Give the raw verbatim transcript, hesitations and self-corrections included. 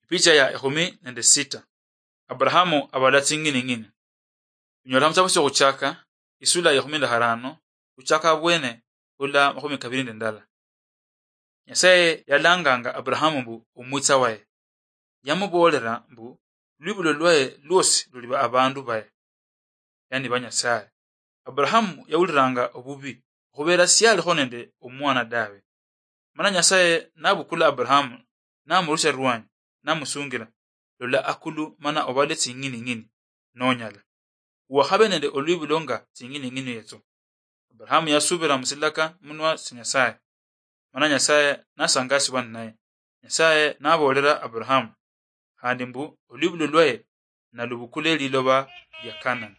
Picha ya ekhumi nende sita. Abrahamu abala tsing'ining'ini. Unyola muchitabu chiokhuchaka, isula ya ekhumi nende kharano, khuchaka abwene khula makhumi kabili nende ndala. Nyasaye yalanganga Abrahamu mbu omwitsa waye. Yamuboolera mbu lwibulo lwaye lwosi luliba abandu baye, yani ba Nyasaye. Abrahamu yawuliranga obubi, okhubeera siyalikho nende omwana dawe. Mana Nyasaye nabukula Abrahamu, namurusia rwanyi, namusungira, "Lola akulu mana obale tsing'ining'ini, nonyala. Wakhabe nende olwibulo nga tsing'ining'ini etso." Abrahamu yasubira musilaka munwa sia Nyasaye, mana Nyasaye nasangasibwa ninaye. Nyasaye naboolera Abrahamu khandi mbu olwibulo lwaye nalubukule liloba lia Kanani.